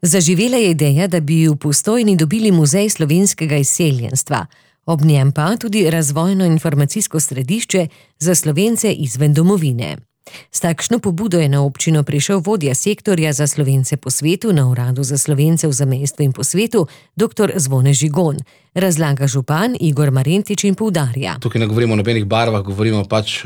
Zaživela je ideja, da bi v Postojni dobili muzej slovenskega izseljenstva, ob njem pa tudi razvojno-informacijsko središče za Slovence izven domovine. S takšno pobudo je na občino prišel vodja sektorja za Slovence po svetu na Uradu za Slovence v zamejstvu in po svetu, dr. Zvone Žigon. Razlaga župan Igor Marentič in poudarja. Tukaj ne govorimo o nobenih barvah, govorimo pač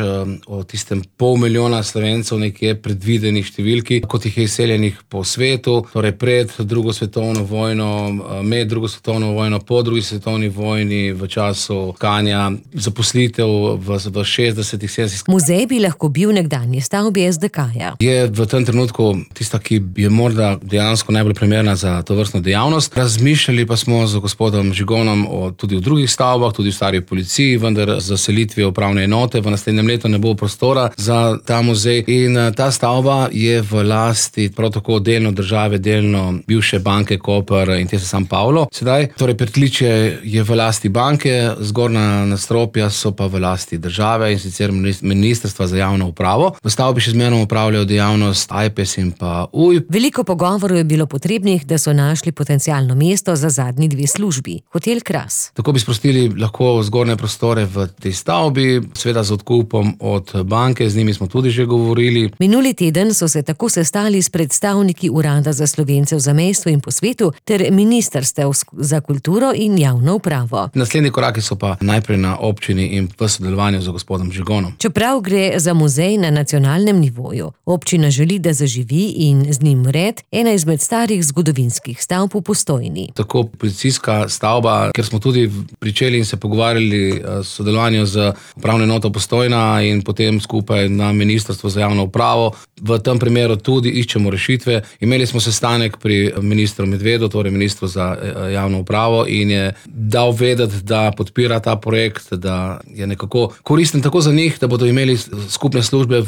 o tistem 500 milijona Slovencev nekje predvidenih številki, kot jih je izseljenih po svetu, torej pred drugo svetovno vojno, med drugo svetovno vojno, po drugi svetovni vojni, v času tkanja, zaposlitev v 60-ih, 70-ih. Muzej bi lahko bil nekdanji stavbi SDK-ja. Je v tem trenutku tista, ki je morda dejansko najbolj primerna za tovrstno dejavnost. Razmišljali pa smo z gospodom Žigonom tudi v drugih stavbah, tudi v stari policiji, vendar z selitvijo upravne enote v naslednjem letu ne bo prostora za ta muzej. In ta stavba je v lasti prav tako delno države, delno bivše banke Koper in Intesa San Paolo. Sedaj, torej pritličje je v lasti banke, zgornja nadstropja so pa v lasti države, in sicer Ministrstva za javno upravo. V stavbi še zmerno upravljajo dejavnost AJPES in pa UJ. Veliko pogovorov je bilo potrebnih, da so našli potencialno mesto za zadnji dve službi. Hotel Kras. Tako bi sprostili lahko zgornje prostore v tej stavbi, seveda z odkupom od banke, z njimi smo tudi že govorili. Minuli teden so se tako sestali s predstavniki Urada za Slovence v zamejstvu in po svetu ter Ministrstev za kulturo in javno upravo. Naslednji koraki so pa najprej na občini in v sodelovanju z gospodom Žigonom. Čeprav gre za muzej na nacionalnem nivoju, občina želi, da zaživi in z njim red ena izmed starih zgodovinskih stavb v Postojni. Tako policijska stavba, ker smo tudi pričeli in se pogovarjali o sodelovanju z upravno enoto Postojna in potem skupaj na Ministrstvo za javno upravo. V tem primeru tudi iščemo rešitve. Imeli smo sestanek pri ministru Medvedu, torej ministru za javno upravo, in je dal vedeti, da podpira ta projekt, da je nekako koristen tako za njih, da bodo imeli skupne službe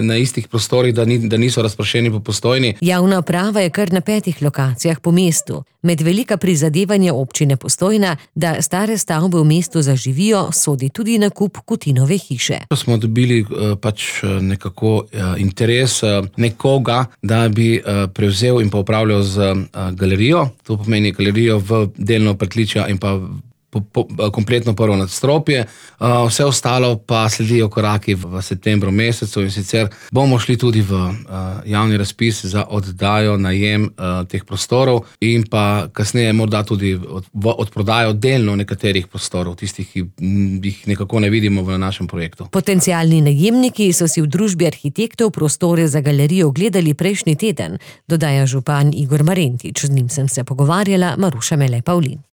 na istih prostorih, da niso razpršeni po Postojni. Javna uprava je kar na 5 lokacijah po mestu. Med velika prizadevanja občine Postojna, da stare stavbe v mestu zaživijo, sodi tudi nakup Kutinove hiše. Smo dobili pač nekako interes nekoga, da bi prevzel in pa upravljal z galerijo. To pomeni galerijo v delno pritličja in pa kompletno prvo nadstropje. Vse ostalo pa sledijo koraki v septembru mesecu, in sicer bomo šli tudi v javni razpis za oddajo, najem teh prostorov in pa kasneje morda tudi v odprodajo delno nekaterih prostorov, tistih, ki jih nekako ne vidimo v našem projektu. Potencialni najemniki so si v družbi arhitektov prostore za galerijo ogledali prejšnji teden, dodaja župan Igor Marentič. Z njim sem se pogovarjala, Maruša Mele Pavlin.